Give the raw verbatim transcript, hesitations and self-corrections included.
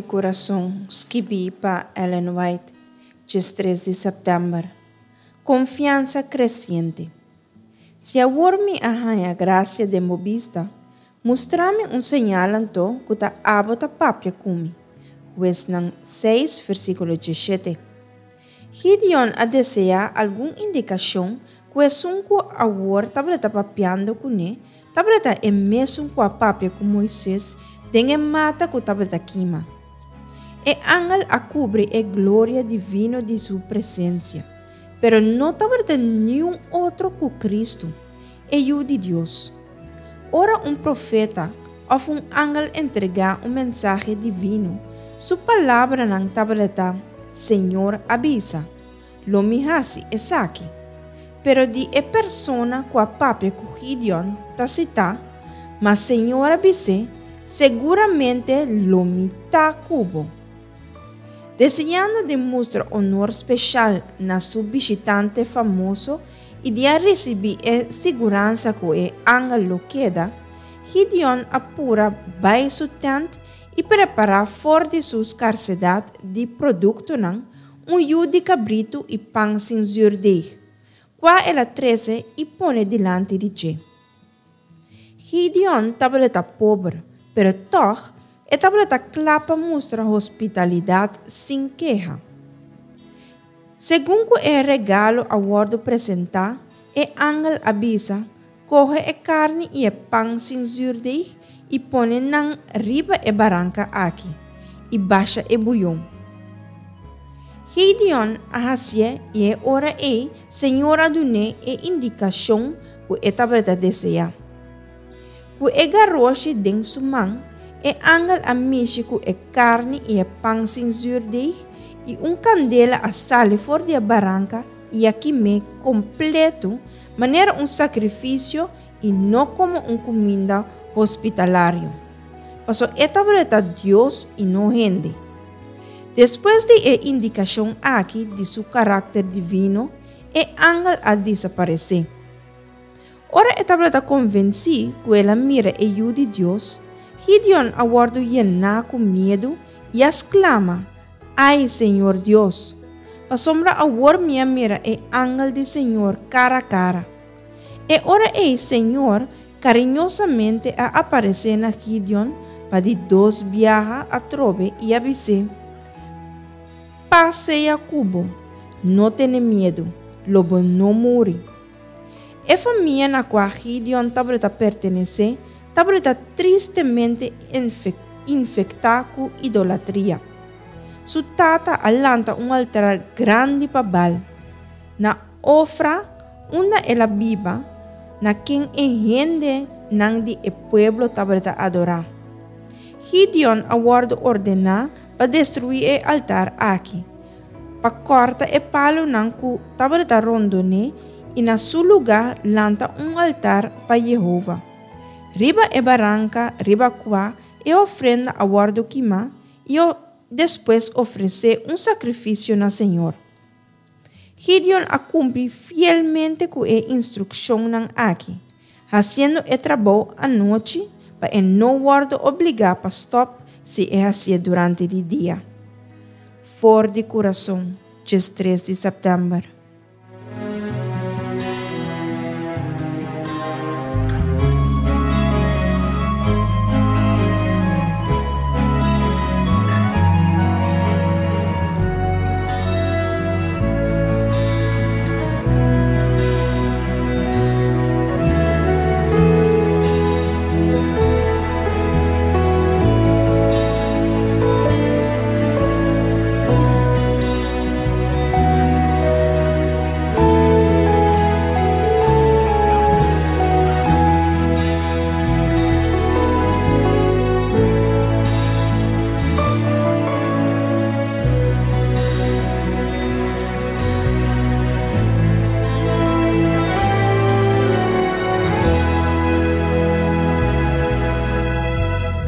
Kurason, skibí pa Ellen White, diestres di sèptèmber. Konfiansa kresiente. Si awor mi a haña grasia den bo bista, mustra mi un señal anto ku ta abo ta papia ku mi. Huesnan seis, versíkulo diesshete. Gideon a deseá algun indikashon ku esun ku awor tabata papiando kuné tabata e mesun ku a papia ku Moises den e mata ku tabata kima. E angel a kubri e gloria divino di su presensia, pero no tabata niun otro ku Kristu, e Yu di Dios. Ora un profeta òf un angel entregá un mensahe divino, su palabranan tabata: "Señor a bisa, lo mi hasi esaki." Pero di e persona ku a papia ku Gideon ta sitá: "Ma Señor a bis'é, seguramente lo mi ta ku bo." Deseando di mustra honor spesial na su bishitante famoso i di a risibí e siguransa ku e angel lo keda, Gideon a pura bai su tènt i prepará for di su skarsedat di produktonan un yu di kabritu i pan sin zuurdeeg, kua el a trese i pone dilanti di dje. Gideon tabata pober, pero tòg e tabata kla pa mustra hospitalidat sin keha. Segun ku e regalo a wòrdu presentá, e angel a bisa: "Kohe e karni i e pan sin zuurdeeg i pone nan riba e baranka aki, i basha e buyon." Gideon a hasié i e ora ei Señor a dun'é e indikashon ku e tabata deseá. Ku e garoshi den su man, e angel a mishi ku e karni i e pan sin zuurdeeg i un kandela a sali for di e baranka i a kim'é kompleto manera un sakrifisio i no komo un kuminda hospitalario. Paso e tabata Dios i no hende. Despues di e indikashon aki di su karakter divino, e angel a desaparesé. Ora e tabata konvensí ku el a mira e Yu di Dios, Gideon a wòrdu yená ku miedu i a sklama: "Ai, Señor Dios, pasobra awor mi a mira e angel di Señor kara kara." E ora ei Señor kariñosamente a aparesé na Gideon pa di dos biaha atrobe i a bis'é: "Pas sea ku bo, no tene miedu, lo bo no muri." E famia na kua Gideon tabata pertenesé tabata tristemente infektá ku idolatria. Su tata a lanta un altar grandi pa Baal. Na Ofra, unda el a biba, na ken e hendenan di e pueblo tabata adorá. Gideon a wòrdu ordená pa destruí e altar aki, pa kòrta e palunan ku tabata rondon'é i na su lugá lanta un altar pa Yehova. Riba e baranka riba kua e ofrenda a wòrdu kimá i despues ofresé un sakrifisio na Señor. Gideon a kumpli fielmente ku e instrukshonnan aki, hasiendo e trabou anochi pa e no wòrdu obligá pa stòp si e hasié durante di dia. For di Kurason, diestres di sèptèmber.